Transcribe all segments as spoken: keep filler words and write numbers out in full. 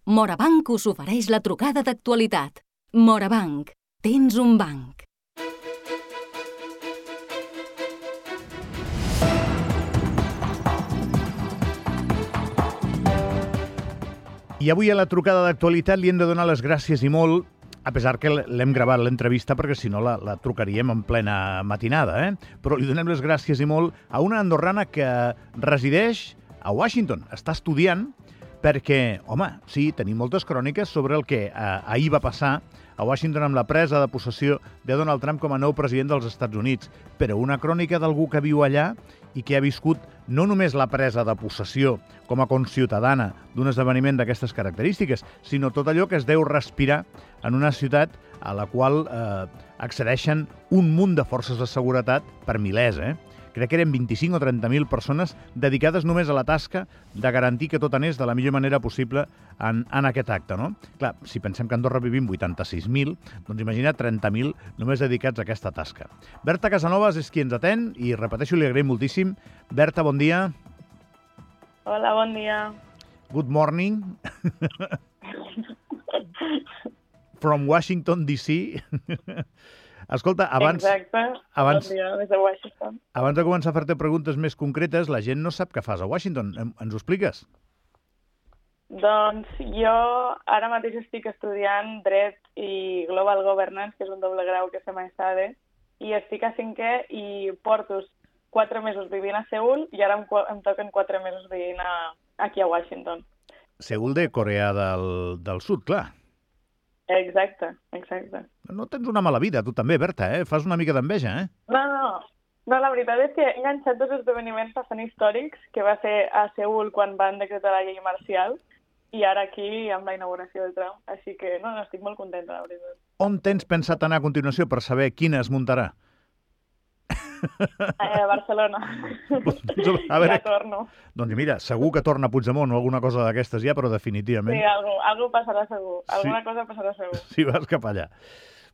Morabanc us ofereix la trucada d'actualitat. Morabanc, tens un banc. I avui a la trucada d'actualitat li hem de donar les gràcies i molt, a pesar que l'hem gravat l'entrevista perquè si no la, la trucaríem en plena matinada, eh? Però li donem les gràcies i molt a una andorrana que resideix a Washington. Està estudiant perquè, home, sí, tenim moltes cròniques sobre el que eh, ahir va passar a Washington amb la presa de possessió de Donald Trump com a nou president dels Estats Units, però una crònica d'algú que viu allà i que ha viscut no només la presa de possessió com a conciutadana d'un esdeveniment d'aquestes característiques, sinó tot allò que es deu respirar en una ciutat a la qual eh, accedeixen un munt de forces de seguretat per milers, eh? Crec que eren vint-i-cinc o trenta mil persones dedicades només a la tasca de garantir que tot anés de la millor manera possible en, en aquest acte, no? Clar, si pensem que a Andorra vivim vuitanta-sis mil, doncs imagina trenta mil només dedicats a aquesta tasca. Berta Casanovas és qui ens atén i, repeteixo, li agraïm moltíssim. Berta, bon dia. Hola, bon dia. Good morning. From Washington, D C Escolta, abans... Exacte, abans, bon dia, des de Washington. Abans de començar a fer-te preguntes més concretes, la gent no sap què fas a Washington. Ens ho expliques? Doncs jo ara mateix estic estudiant Dret i Global Governance, que és un doble grau que fem a ESADE, i estic a cinquè i porto quatre mesos vivint a Seül i ara em, em toquen quatre mesos vivint a, aquí a Washington. Seül de Corea del, del Sud, clar. Exacte, exacte. No tens una mala vida, tu també, Berta, eh? Fas una mica d'enveja, eh? No, no, no, la veritat és que he enganxat dos esdeveniments bastant històrics, que va ser a Seül quan van decretar la llei marcial i ara aquí amb la inauguració del Trump. Així que, no, no, estic molt contenta, la veritat. On tens pensat anar a continuació per saber quina es muntarà? A Barcelona. A veure, ja torno. Doncs mira, segur que torna Puigdemont o alguna cosa d'aquestes ja, però definitivament... Sí, algú, algú passarà segur. Alguna sí. cosa passarà segur. Si vas cap allà.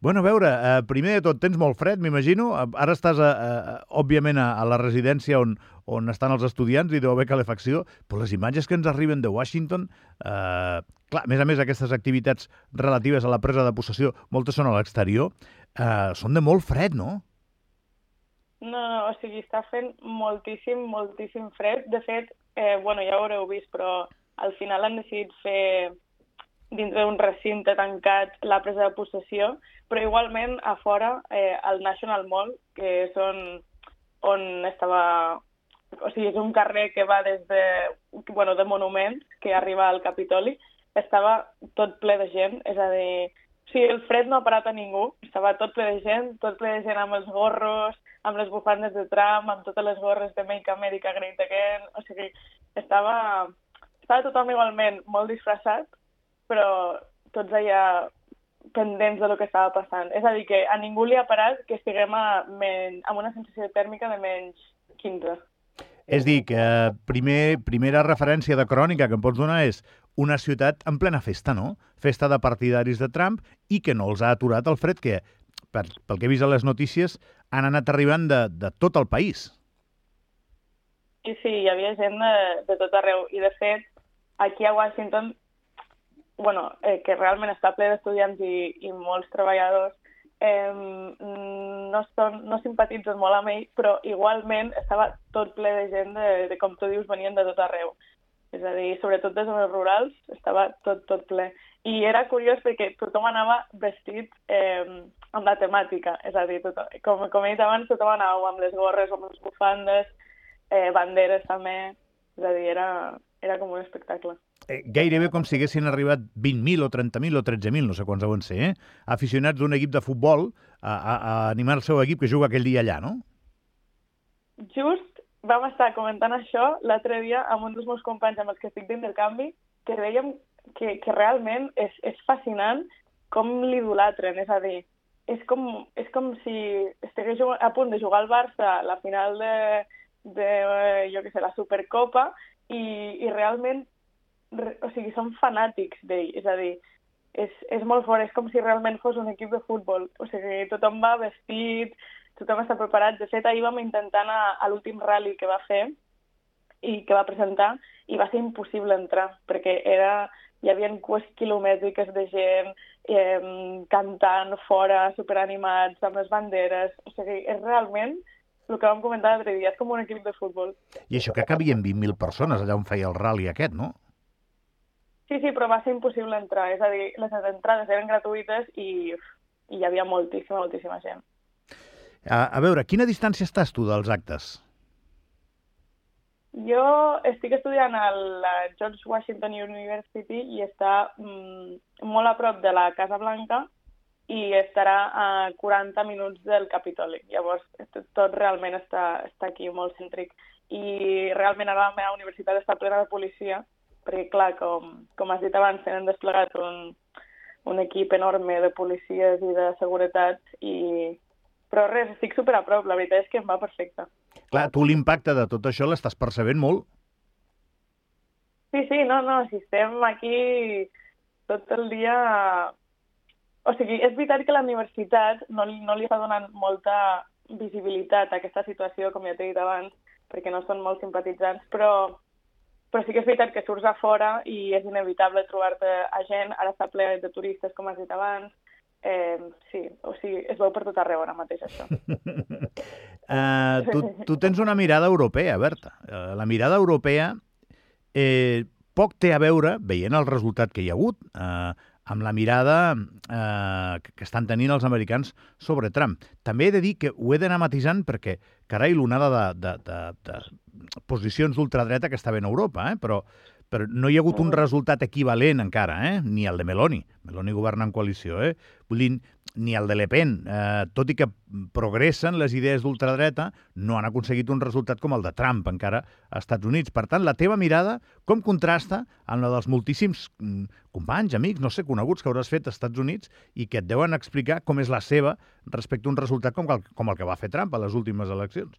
Bueno, a veure, eh, primer de tot, tens molt fred, m'imagino. Ara estàs, a, a, òbviament, a, a la residència on, on estan els estudiants i deu haver calefacció, però les imatges que ens arriben de Washington... Eh, clar, a més a més, aquestes activitats relatives a la presa de possessió, moltes són a l'exterior, eh, són de molt fred, no? No, no, o sigui, està fent moltíssim, moltíssim fred. De fet, eh, bueno, ja ho haureu vist, però al final han decidit fer dintre d'un recinte tancat la presa de possessió, però igualment a fora, eh, al National Mall, que és on, on estava... O sigui, és un carrer que va des de, bueno, de monuments, que arriba al Capitoli, estava tot ple de gent, és a dir... O sigui, el fred no ha parat a ningú, estava tot ple de gent, tot ple de gent amb els gorros, amb les bufandes de Trump, amb totes les gorres de Make America Great Again, o sigui, estava, estava tothom igualment molt disfressat, però tots allà pendents de lo que estava passant. És a dir, que a ningú li ha parat que estiguem a men... amb una sensació tèrmica de menys quinze. És dir, que primer, primera referència de crònica que em pots donar és una ciutat en plena festa, no? Festa de partidaris de Trump i que no els ha aturat el fred, que, per, pel que he vist a les notícies, han anat arribant de, de tot el país. Sí, sí, hi havia gent de, de tot arreu. I, de fet, aquí a Washington, bueno, eh, que realment està ple d'estudiants i, i molts treballadors, eh, no, són, no simpatitzen molt amb ell, però igualment estava tot ple de gent de, de com tu dius, venien de tot arreu. És a dir, sobretot des zones rurals, estava tot, tot ple. I era curiós perquè tothom anava vestit eh, amb la temàtica. És a dir, tothom, com, com he dit abans, tothom anava amb les gorres, amb les bufandes, eh, banderes també. És a dir, era, era com un espectacle. Eh, gairebé com si haguessin arribat vint mil o trenta mil o tretze mil, no sé quants deuen ser, eh? Aficionats d'un equip de futbol a, a, a animar el seu equip que juga aquell dia allà, no? Just vam estar comentant això l'altre dia amb un dels meus companys amb els que estic d'intercanvi, que dèiem que, que realment és, és fascinant com l'idolatren, és a dir, és com, és com si estigués a punt de jugar al Barça la final de, de jo què sé, la Supercopa i, i realment, o sigui, són fanàtics d'ell, és a dir, és, és molt fort, és com si realment fos un equip de futbol, o sigui, tothom va vestit, tothom està preparat. De fet, ahir vam intentar anar a l'últim rally que va fer i que va presentar i va ser impossible entrar perquè era hi havia cues quilomètriques de gent eh, cantant fora, superanimats, amb les banderes. O sigui, és realment el que vam comentar l'altre dia, és com un equip de futbol. I això que cabien vint mil persones allà on feia el rally aquest, no? Sí, sí, però va ser impossible entrar. És a dir, les entrades eren gratuïtes i, i hi havia moltíssima, moltíssima gent. A, a veure, a quina distància estàs tu dels actes? Jo estic estudiant a la George Washington University i està mm, molt a prop de la Casa Blanca i estarà a quaranta minuts del Capitoli. Llavors, tot realment està, està aquí molt cèntric. I realment ara la meva universitat està plena de policia, perquè, clar, com, com has dit abans, tenen desplegat un, un equip enorme de policies i de seguretat, i... però res, estic super a prop, la veritat és que em va perfecte. Clar, tu l'impacte de tot això l'estàs percebent molt? Sí, sí, no, no, si estem aquí tot el dia... O sigui, és veritat que la universitat no, no li està donant molta visibilitat a aquesta situació, com ja t'he dit abans, perquè no són molt simpatitzants, però, però sí que és veritat que surts a fora i és inevitable trobar-te a gent, ara està ple de turistes, com has dit abans. Eh, sí, o sigui, es veu per tot arreu ara mateix, això. uh, tu, tu tens una mirada europea, Berta. Uh, la mirada europea eh, poc té a veure, veient el resultat que hi ha hagut, eh, amb la mirada eh, que estan tenint els americans sobre Trump. També he de dir que ho he d'anar matisant perquè, carai, l'onada de, de, de, de posicions d'ultradreta que està bé a Europa, eh? però, però no hi ha hagut un resultat equivalent encara, eh? Ni el de Meloni. Meloni governa en coalició, eh? Vull dir, ni el de Le Pen. Eh, tot i que progressen les idees d'ultradreta, no han aconseguit un resultat com el de Trump encara als Estats Units. Per tant, la teva mirada com contrasta amb la dels moltíssims companys, amics, no sé, coneguts que hauràs fet als Estats Units i que et deuen explicar com és la seva respecte a un resultat com el, com el que va fer Trump a les últimes eleccions?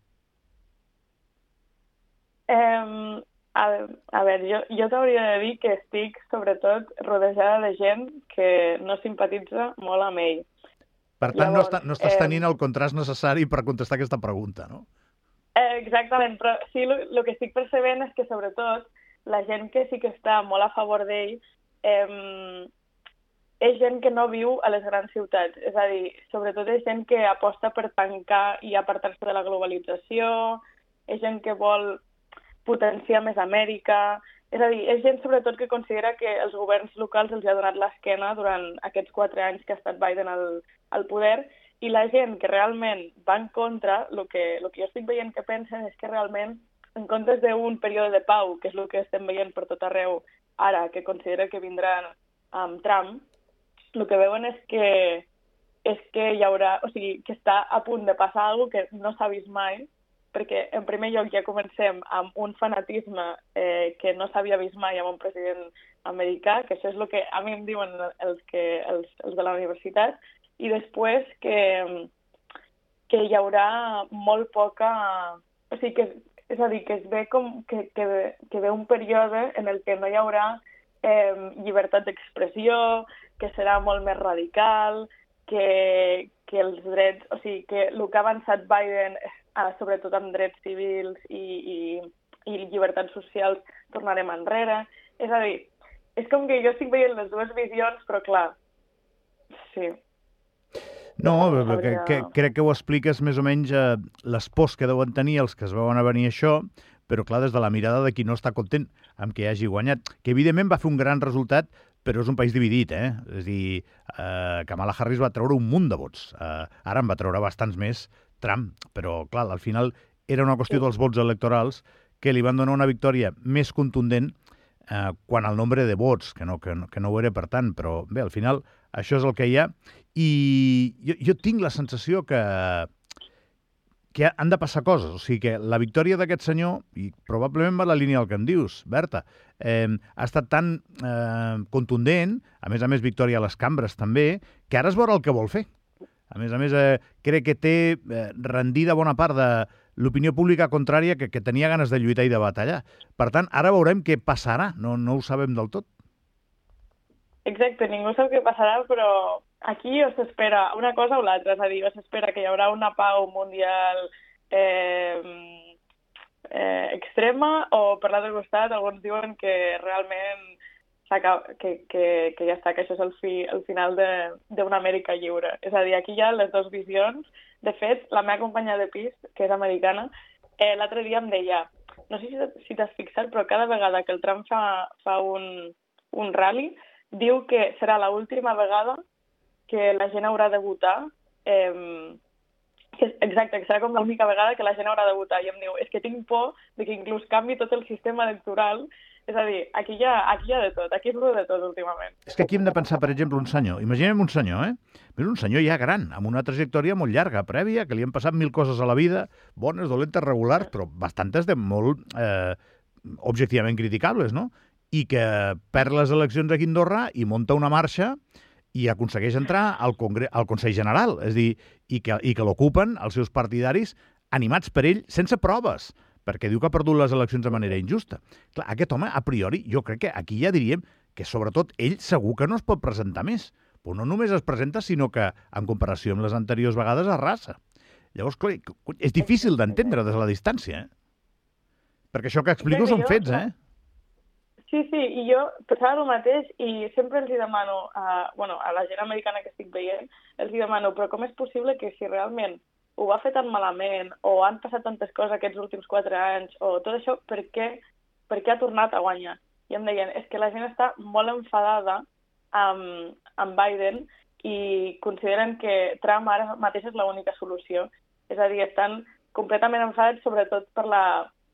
Um, a, a veure, jo, jo t'hauria de dir que estic, sobretot, rodejada de gent que no simpatitza molt amb ell. Per tant, Llavors, no, està, no estàs tenint eh... el contrast necessari per contestar aquesta pregunta, no? Eh, exactament, però sí, el que estic percebent és que, sobretot, la gent que sí que està molt a favor d'ell eh, és gent que no viu a les grans ciutats. És a dir, sobretot és gent que aposta per tancar i apartar-se de la globalització, és gent que vol potenciar més Amèrica. És a dir, és gent sobretot que considera que els governs locals els ha donat l'esquena durant aquests quatre anys que ha estat Biden al, al poder, i la gent que realment va en contra, el que, el que jo estic veient que pensen és que realment, en comptes d'un període de pau, que és el que estem veient per tot arreu ara, que considera que vindrà amb Trump, el que veuen és que, és que hi haurà, o sigui, que està a punt de passar alguna cosa que no s'ha vist mai, perquè en primer lloc ja comencem amb un fanatisme eh, que no s'havia vist mai amb un president americà, que això és el que a mi em diuen els, que, els, els de la universitat, i després que, que hi haurà molt poca... O sigui, que, és a dir, que es ve com que, que, que ve un període en el que no hi haurà eh, llibertat d'expressió, que serà molt més radical, que, que els drets... O sigui, que el que ha avançat Biden, eh, sobretot amb drets civils i, i, i llibertats socials, tornarem enrere. És a dir, és com que jo estic veient les dues visions, però clar, sí. No, que, que, crec que ho expliques més o menys eh, les pors que deuen tenir els que es veuen a venir això, però clar, des de la mirada de qui no està content amb que hagi guanyat, que evidentment va fer un gran resultat, però és un país dividit, eh? És a dir, eh, Kamala Harris va treure un munt de vots. Eh, ara en va treure bastants més Trump, però clar, al final era una qüestió dels vots electorals que li van donar una victòria més contundent eh, quan al nombre de vots, que no, que, no, que no ho era per tant, però bé, al final això és el que hi ha, i jo, jo tinc la sensació que, que han de passar coses, o sigui que la victòria d'aquest senyor, i probablement va la línia del que em dius, Berta, eh, ha estat tan eh, contundent, a més a més victòria a les cambres també, que ara es veurà el que vol fer. A més a més, eh, crec que té eh, rendida bona part de l'opinió pública contrària que, que tenia ganes de lluitar i de batallar. Per tant, ara veurem què passarà, no, no ho sabem del tot. Exacte, ningú sap què passarà, però aquí o s'espera una cosa o l'altra, és a dir, o s'espera que hi haurà una pau mundial eh, eh, extrema, o per l'altre costat alguns diuen que realment que, que, que ja està, que això és el, fi, el final d'una Amèrica lliure. És a dir, aquí hi ha les dues visions. De fet, la meva companya de pis, que és americana, eh, l'altre dia em deia, no sé si, si t'has fixat, però cada vegada que el Trump fa, fa un, un rally, diu que serà l'última vegada que la gent haurà de votar, eh, que, exacte, que serà com l'única vegada que la gent haurà de votar. I em diu, és que tinc por de que inclús canvi tot el sistema electoral. És a dir, aquí hi ha, aquí hi ha de tot, aquí és de tot últimament. És que aquí hem de pensar, per exemple, un senyor. Imaginem un senyor, eh? Però un senyor ja gran, amb una trajectòria molt llarga, prèvia, que li han passat mil coses a la vida, bones, dolentes, regulars, però bastantes de molt eh, objectivament criticables, no? I que perd les eleccions aquí a Andorra i munta una marxa i aconsegueix entrar al, Congre al Consell General, és a dir, i que, i que l'ocupen els seus partidaris animats per ell sense proves, perquè diu que ha perdut les eleccions de manera injusta. Clar, aquest home, a priori, jo crec que aquí ja diríem que, sobretot, ell segur que no es pot presentar més. Però no només es presenta, sinó que, en comparació amb les anteriors vegades, arrasa. Llavors, clar, és difícil d'entendre des de la distància, eh? Perquè això que explico són fets, eh? Sí, sí, i jo pensava el mateix i sempre els hi demano, a, bueno, a la gent americana que estic veient, els hi demano, però com és possible que si realment ho va fer tan malament, o han passat tantes coses aquests últims quatre anys, o tot això, per què, per què ha tornat a guanyar? I em deien, és que la gent està molt enfadada amb, amb Biden i consideren que Trump ara mateix és l'única solució. És a dir, estan completament enfadats sobretot per la,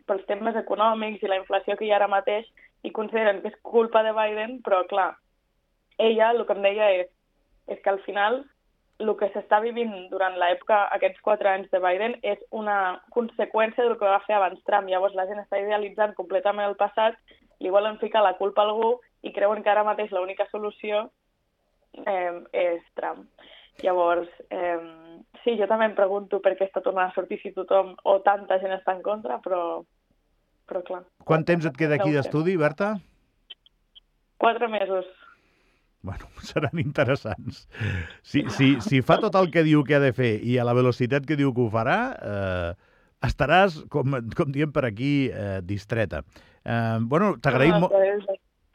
pels temes econòmics i la inflació que hi ha ara mateix i consideren que és culpa de Biden, però clar, ella el que em deia és, és que al final el que s'està vivint durant l'època, aquests quatre anys de Biden, és una conseqüència del que va fer abans Trump. Llavors la gent està idealitzant completament el passat, li volen ficar la culpa a algú i creuen que ara mateix l'única solució eh, és Trump. Llavors, eh, sí, jo també em pregunto per què està tornant a sortir si tothom o tanta gent està en contra, però, però clar. Quant temps et queda aquí d'estudi, Berta? Quatre mesos. Bueno, seran interessants. Si, si, si fa tot el que diu que ha de fer i a la velocitat que diu que ho farà, eh, estaràs, com, com diem per aquí, eh, distreta. Eh, bueno, t'agraïm molt...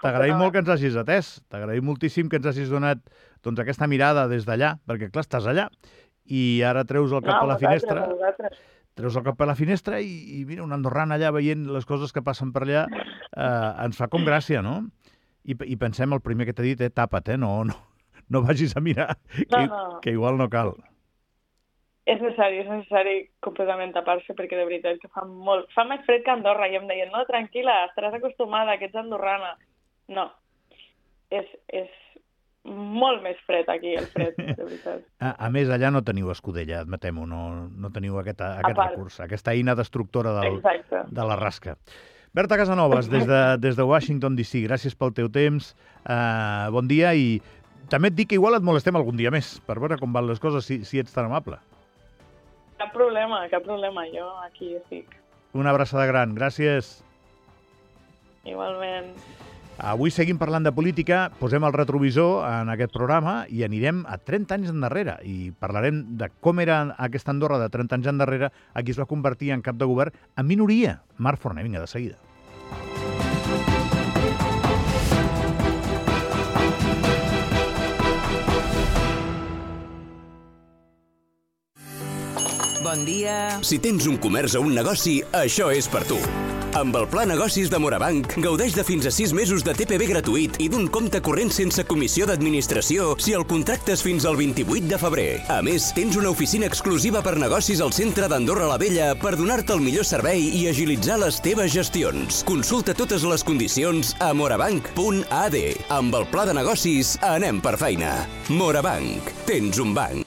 T'agraïm molt que ens hagis atès. T'agraïm moltíssim que ens hagis donat doncs, aquesta mirada des d'allà, perquè, clar, estàs allà i ara treus el cap no, a la finestra. Vosaltres. Treus el cap a la finestra i, i mira, un andorran allà veient les coses que passen per allà eh, ens fa com gràcia, no? I, i pensem, el primer que t'he dit, eh, tapa't, eh? No, no, no vagis a mirar, que, no, no. que igual no cal. És necessari, és necessari completament tapar-se, perquè de veritat que fa molt... Fa més fred que a Andorra, i em deien, no, tranquil·la, estaràs acostumada, que ets andorrana. No, és, és molt més fred aquí, el fred, de veritat. A, a més, allà no teniu escudella, admetem-ho, no, no teniu aquest, aquest recurs, aquesta eina destructora del, de la rasca. Berta Casanovas, des de, des de Washington D C, gràcies pel teu temps, uh, bon dia, i també et dic que igual et molestem algun dia més, per veure com van les coses, si, si ets tan amable. Cap problema, cap problema, jo aquí estic. Una abraçada gran, gràcies. Igualment. Avui seguim parlant de política, posem el retrovisor en aquest programa i anirem a trenta anys endarrere i parlarem de com era aquesta Andorra de trenta anys endarrere a qui es va convertir en cap de govern en minoria. Marc Forner, vinga, de seguida. Bon dia. Si tens un comerç o un negoci, això és per tu. Amb el Pla Negocis de Morabanc, gaudeix de fins a sis mesos de T P V gratuït i d'un compte corrent sense comissió d'administració si el contractes fins al vint-i-vuit de febrer. A més, tens una oficina exclusiva per negocis al centre d'Andorra la Vella per donar-te el millor servei i agilitzar les teves gestions. Consulta totes les condicions a morabanc punt a d. Amb el Pla de Negocis, anem per feina. Morabanc. Tens un banc.